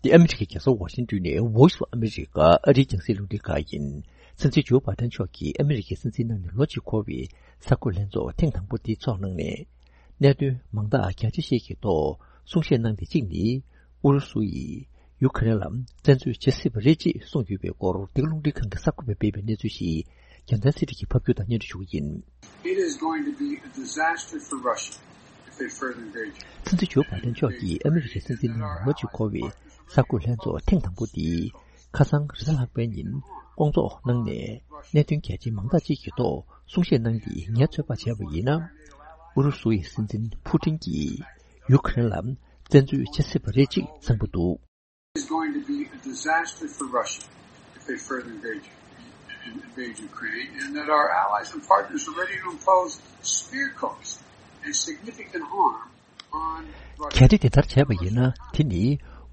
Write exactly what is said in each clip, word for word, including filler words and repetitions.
འདི་ཨ་མི་རི་ཀའི་རྒྱལ་ས་ཝ་ཤིང་ཏོན་ནས་Voice of America ཨ་རིའི་རྒྱང་སྲིང་རླུང་འཕྲིན་ཁང་ཡིན། སྲིད་འཛིན་ཇོ་བྷའི་ཏན་མཆོག་གིས་ཨ་མི་རི་ཀའི་སྲིད་འཛིན་གནང་ནས་ལོ་གཅིག་འཁོར་བའི་གསར་འགོད་ལྷན་ཚོགས་ཐེངས་དང་པོ་དེ་འཚོགས་གནང་ནས། གནད་དོན་མང་དག་རྒྱ་ཆེ་ཤོས་ཀྱི་ཐོག་གསུང་བཤད་གནང་སྟེ། གཅིག་ནི། ཨུ་རུ་སུ་ཡིས་ཡུ་ཁ་རེན་ལ་བཙན་འཛུལ་བྱེད་སྲིད་པ་རེད་ཅེས་གསུངས་ཡོད་པའི་སྐོར། འདི་ག་རླུང་འཕྲིན་ཁང་གི་གསར་འགོད་པས་སྤེལ་བའི་གནས་ཚུལ་ཞིག་རྒྱལ་མཚན་ཚེ་རིང་གིས་ཕབ་སྒྱུར་དང་སྙན་སྒྲོན་ཞུ་གི་ཡིན། It is going to be a disaster for Russia if they further engage. སྲིད་འཛིན་ཇོ་བྷའི་ཏན་མཆོག་གིས་ཨ་མི་རི་ཀའི་སྲིད་འཛིན་གནང་ནས་ལོ་གཅིག་འཁོར་བའི་གསར་འགོད་ལྷན་ཚོགས་ཐེངས་དང་པོ་འདི་ཁ་སང་རེས་གཟའ་ལྷག་པའི་ཉིན་སྐོང་ཚོགས་གནང་ནས། གནད་དོན་གལ་ཆེན་མང་དག་ཅིག་གི་ཐོག་གསུང་བཤད་གནང་སྟེ། ངས་ཚོད་དཔག་བྱས་པ་ཡིན་ན། ཨུ་རུ་སུ་ཡི་སྲིད་འཛིན་ཕུ་ཏིན་གྱིས་ཡུ་ཁ་རེན་ལ་བཙན་འཛུལ་བྱེད་སྲིད་པ་རེད་ཅེས་གསུངས་པ་འདུག It's going to be a disaster for Russia if they further engage, invade Ukraine, and that our allies and partners are ready to impose severe costs and significant harm on Russia. གལ་ཏེ་དེ་ལྟར་བྱས་པ་ཡིན་ན། དེ་ནི་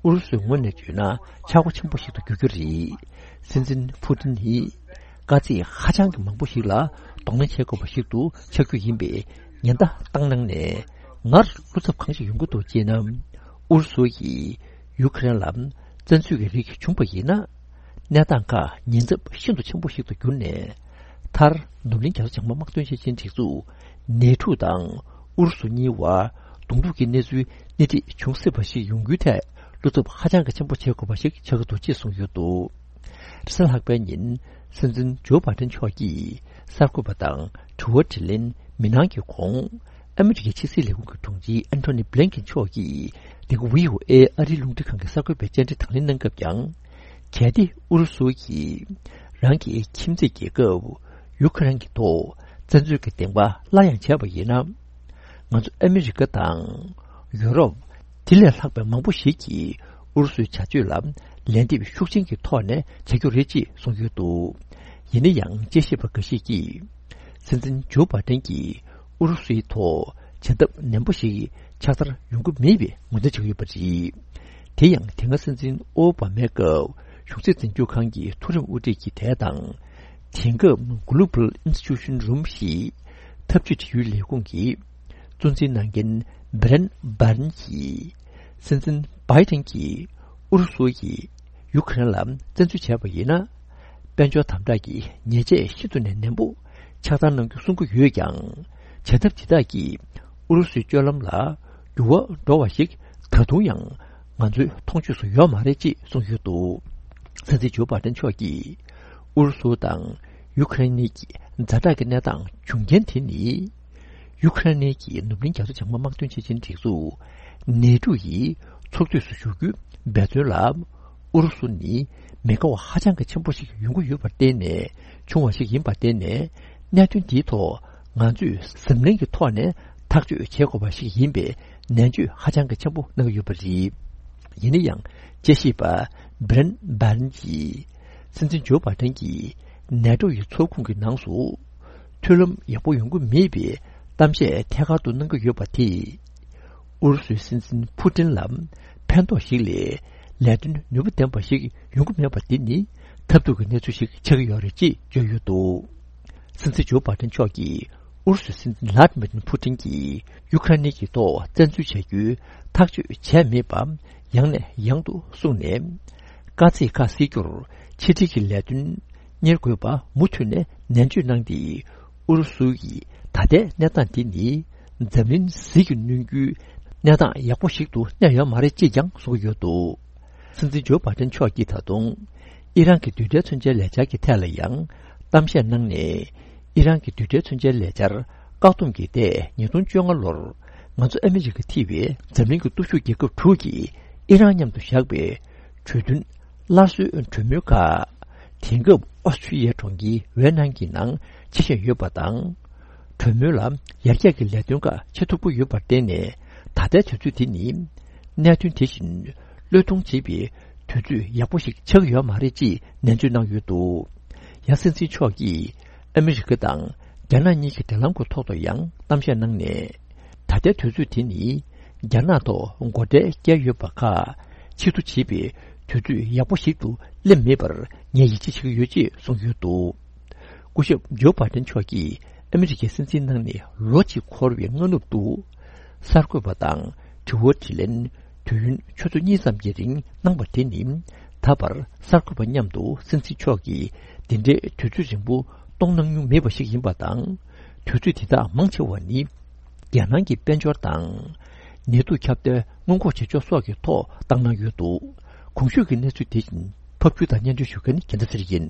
ཨུ་རུ་སུའི་ངོས་ནས་བརྗོད་ན་ཆག་སྒོ་ཆེན་པོ་ཞིག་ཏུ་འགྱུར་རྒྱུ་རེད། སྲིད་འཛིན་ཕུ་ཏིན་ནི་དཀའ་ཚེགས་ཧ་ཅང་གི་མང་པོ་ཞིག་ལ་གདོང་ལེན་བྱེད་དགོས་པ་ཞིག་ཏུ་ཆགས་རྒྱུ་ཡིན་པའི་ཉེན་བརྡ་བཏང་གནང་ནས། སྔར་བློ་འཚབ་གང་ཞིག་ཡོང་གི་འདུག་ཅེ་ན། ཨུ་རུ་སུ་ཡིས་ཡུ་ཁ་རེན་ལ་བཙན་འཛུལ་གྱི་རིགས་བྱུང་པ་ཡིན་ན། གནས་སྟངས་ཁག་ཉེན་ཚབས་ཤིན་ཏུ་ཆེན་པོ་ཞིག་ཏུ་གྱུར་ནས། མཐར་ནུབ་གླིང་རྒྱ་མཚོ་བྱང་མ་དམག་དོན་ཞིབ་མཆན་སྒྲིག་འཛུགས་ནེ་ཊོ་དང་ཨུ་རུ་སུ་གཉིས་བར་གདོང་ཐུག་གི་གནས་ཚུལ་སྣེ་ཁྲིད་བྱུང་སྲིད་པ་ཞིག་ཡོང་རྒྱུའི་ཐད་བློ་འཚབ་ཧ་ཅང་གི་ཆེན་པོ་བྱེད་དགོས་པ་ཞིག་ཆགས་ཀྱི་འདུག་ཅེས་གསུངས་ཡོད་འདུག་རེས་གཟའ་ལྷག་པའི་ཉིན་སྲིད་འཛིན་ཇོ་བྷའི་ཏན་མཆོག་གིས་གསར་འགོད་པ་དང་དྲི་བ་དྲིས་ལན་མི་གནང་གི་གོང་། ཨ་མི་རི་ཀའི་ཕྱི་སྲིད་ལས་ཁུངས་ཀྱི་དྲུང་ཆེ་ཨན་ཐོ་ནི་བྷི་ལིན་ཀེན་མཆོག་གིས་འདི་ག་བྷི་ཨོ་ཨེ་ཨ་རིའི་རླུང་འཕྲིན་ཁང་གི་གསར་འགོད་པའི་བཅར་འདྲི་དང་ལེན་གནང་སྐབས་ཀྱང་། གལ་ཏེ་ཨུ་རུ་སུ་གིས་རང་གི་ཁྱིམ་མཚེས་རྒྱལ་ཁབ་ཡུ་ཁ་རེན་གྱི་ཐོག་བཙན་འཛུལ་གྱི་བདེན་པ་སླར་ཡང་བྱས་པ་ཡིན་ན། ང་ཚོ་ཨ་མི་རི་ཀ་དང་ཡུ་རོབ། དེ་ལས་ལྷག་པའི་མང་པོ་ཞིག་གིས་ཨུ་རུ་སུའི་བྱ་སྤྱོད་ལ་ལན་འདེབས་ཤུགས་ཆེན་གྱི་ཐོག་ནས་བྱ་རྒྱུ་རེད་ཅེས་གསུངས་ཡོད་འདུག་ཡིན་ན་ཡང་། དཔྱད་ཞིབ་པ་འགའ་ཞིག་གིས། སྲིད་འཛིན་ཇོ་བྷའི་ཏན་གྱིས་ཨུ་རུ་སུའི་ཐོག་བྱེད་ཐབས་ནན་པོ་ཞིག་ཕྱག་བསྟར་ཡོང་གི་མེད་པའི་ངོས་འཛིན་བྱེད་ཀྱི་ཡོད་པ་རེད། དེ་ཡང་དེ་སྔ་སྲིད་འཛིན་ཨོ་བྷ་མའི་སྐབས་གཞུང་སྲིད་འཛིན་སྐྱོང་ཁང་གི་མཐོ་རིམ་དབུ་ཁྲིད་ཀྱི་དེ་དང་། དེང་སྐབས་Global Institution Room ཞེས་འཐབ་ཇུས་འབྲེལ་ཡོད་ལས་ཁུངས་ཀྱི་གཙོ་འཛིན་གནང་མཁན་བྷི་རན་བྷར་ནི་གྱིས། སྲིད་འཛིན་བྷའི་ཏན་གྱིས་ཨུ་རུ་སུ་ཡིས་ཡུ་ཁ་རེན་ལ་བཙན་འཛུལ་བྱས་པ་ཡིན་ན། དཔལ་འབྱོར་དམ་དྲག་གི་ཉེས་ཆད་ཤིན་ཏུ་ནས་ནན་པོ་ཕྱག་བསྟར་གནང་རྒྱུ་གསུང་གི་ཡོད་ཀྱང་། བྱ་ཐབས་འདི་དག་གིས་ཨུ་རུ་སུའི་སྤྱོད་ལམ་ལ་འགྱུར་བ་འགྲོ་བ་ཞིག་ད་དུང་ཡང་ང་ཚོའི་མཐོང་ཆོས་སུ་ཡོད་མ་རེད་ཅེས་གསུངས་ཡོད་འདུག་སྲིད་འཛིན་ཇོ་བྷའི་ཏན་མཆོག་གིས་ཨུ་རུ་སུ་དང་ཡུ་ཁ་རེན་གཉིས་ཀྱི་ཛ་དྲག་གི་གནས་སྟངས་བྱུང་རྐྱེན་དེ་ནི། ཡུ་ཁ་རེན་གྱི་ནུབ་གླིང་རྒྱ་མཚོ་བྱང་མ་དམག་དོན་ཆེད་ཆེན་སྒྲིག་འཛུགས་ནེ་ཊོ་ཡི་ཚོགས་འཐུས་སུ་ཞུགས་རྒྱུའི་འབད་བརྩོན་ལ་ཨུ་རུ་སུ་ནི་མི་དགའ་བ་ཧ་ཅང་གི་ཆེན་པོ་ཞིག་ཡོང་གི་ཡོད་པར་བརྟེན་ནས་བྱུང་བ་ཞིག་ཡིན་པར་བརྟེན་ནས། གནད་དོན་འདིའི་ཐོག་ང་ཚོས་གཟབ་ནན་གྱི་ཐོག་ནས་ཐག་གཅོད་བྱེད་དགོས་པ་ཞིག་ཡིན་པའི་ནན་བརྗོད་ཧ་ཅང་གི་ཆེན་པོ་གནང་གི་ཡོད་པ་རེད། ཡིན་ན་ཡང་། དཔྱད་ཞིབ་པ་བྷི་རན་བྷར་ནི་གྱིས། སྲིད་འཛིན་ཇོ་བྷའི་ཏན་གྱིས་ནེ་ཊོ་ཡི་ཚོགས་ཁོངས་ཀྱི་ནང་དུ་མཐུན་ལམ་ཡག་པོ་ཡོང་གི་མེད་པའི་གཏམ་བཤད་ཐད་ཀར་དུ་གནང་གི་ཡོད་པ་དེས། ཨུ་རུ་སུའི་སྲིད་འཛིན་ཕུ་ཏིན་ལ་ཕན་ཐོགས་ཤིག་ལས་ལས་དོན་ནུས་པ་ལྡན་པ་ཞིག་ཡོང་གི་མེད་པ་འདི་ནི་ཐབས་སྡུག་གི་གནས་ཚུལ་ཞིག་ཆགས་ཀྱི་ཡོད་རེད་ཅེས་བརྗོད་ཡོད་འདུག་སྲིད་འཛིན་ཇོ་བྷའི་ཏན་མཆོག་གིས་ཨུ་རུ་སུའི་སྲིད་འཛིན་ལྷ་ཌི་མིར་ཕུ་ཏིན་གྱིས་ཡུ་ཁ་རེན་གྱི་ཐོག་བཙན་འཛུལ་བྱ་རྒྱུའི་ཐག་གཅོད་བྱས་མེད་པ་ཡང་ནས་ཡང་དུ་གསུངས་ནས། དཀའ་ཚེགས་ཁག་སེལ་རྒྱུར་ཕྱི་འབྲེལ་གྱི་ལས་དོན་གཉེར་དགོས་པ་མུ་མཐུད་ནས་ནན་བརྗོད་གནང་སྟེ། ཨུ་རུ་སུ་ཡི་ད་ལྟའི་གནས་སྟངས་འདི་ནི་འཛམ་གླིང་ཟིལ་གྱིས་གནོན་རྒྱུའི་གནས་སྟངས་ཡག་པོ་ཞིག་ཏུ་གནས་ཡོད་མ་རེད་ཅེས་ཀྱང་གསུང་གི་ཡོད་འདུག་སྲིད་འཛིན་ཇོ་བྷའི་ཏན་མཆོག་གིས་ད་དུང་ཨི་རན་གྱི་རྡུལ་ཕྲན་མཚོན་ཆའི་ལས་འཆར་གྱི་ཐད་ལ་ཡང་གཏམ་བཤད་གནང་ནས། ཨི་རན་གྱི་རྡུལ་ཕྲན་མཚོན་ཆའི་ལས་འཆར་བཀག་སྡོམ་གྱི་ཐད་ཉིས་སྟོང་བཅོ་ལྔ་ལོར་ང་ཚོ་ཨ་མི་རི་ཀ་ཐེ་བའི་འཛམ་གླིང་གི་སྟོབས་ཤུགས་རྒྱལ་ཁབ་དྲུག་གིས་ཨི་རན་མཉམ་དུ་བཞག་པའི་གྲོས་མཐུན་སླར་གསོའི་གྲོས་མོལ་ཁག་དེང་སྐབས་ཨོ་སི་ཁྲུ་ལི་ཡའི་གྲོང་ཁྱེར་ཝེ་ནང་གི་ནང་ཆེད་བཞག་ཡོད་པ་དང་། གྲོས་མོལ་ལ་ཡར་རྒྱས་ཀྱི་ལས་དོན་ཁག་བྱེད་ཐུབ་ཀྱི་ཡོད་པར་བརྟེན་ནས། ད་ལྟའི་དུས་ཚོད་འདི་ནི་གནད་དོན་དེ་བཞིན་བློས་གཏོང་བྱེད་པའི་དུས་ཚོད་ཡག་པོ་ཞིག་ཆགས་ཡོད་མ་རེད་ཅེས་ནན་བརྗོད་གནང་ཡོད་འདུག་ཡང་སྲིད་འཛིན་མཆོག་གིས་ཨ་མི་རི་ཀ་དང་རྒྱ་ནག་གཉིས་ཀྱི་འབྲེལ་ལམ་གྱི་ཐོག་ཏུ་ཡང་གཏམ་བཤད་གནང་ནས། ད་ལྟའི་དུས་ཚོད་དེ་ནི་རྒྱ་ནག་ཐོག་སྒོ་ཁྲལ་བཀལ་ཡོད་པ་ཁག་ཕྱིར་བསྡུ་བྱེད་པའི་དུས་ཚོད་ཡག་པོ་ཞིག་ཏུ་སླེབས་མེད་པར་ངས་ཡིད་ཆེས་བྱེད་ཀྱི་ཡོད་ཅེས་གསུངས་ཡོད་འདུག་སྐུ་ཞབས་ཇོ་བྷའི་ཏན་མཆོག་གིས་ཨ་མི་རི་ཀའི་སྲིད་འཛིན་གནང་ནས་ལོ་གཅིག་འཁོར་བའི་སྔ་ནུབ་ཏུ། གསར་འགོད་པ་དང་དྲི་བ་དྲིས་ལན་ དུས་ཡུན་ཆུ་ཚོད་གཉིས་ཙམ་གྱི་རིང་གནང་བ་དེ་ནི། ད་བར་གསར་འགོད་པ་མཉམ་དུ་སྲིད་འཛིན་མཆོག་གིས་འདི་འདྲའི་དུས་ཚོད་རིང་པོ་གཏོང་གནང་མྱོང་མེད་པ་ཞིག་ཡིན་པ་དང་། དུས་ཚོད་དེ་དག་མང་ཆེ་བ་ནི། རྒྱལ་ནང་གི་དཔལ་འབྱོར་དང་། ནད་དུག་ཁྱབ་གདལ་སྔོན་འགོག་བྱེད་ཕྱོགས་སོགས་ཀྱི་ཐོག་བཏང་གནང་ཡོད་འདུག་གོང་ཞུས་ཀྱི་གནས་ཚུལ་དེ་བཞིན་ཕབ་སྒྱུར་དང་སྙན་སྒྲོན་ཞུ་མཁན་རྒྱལ་མཚན་ཚེ་རིང་ཡིན།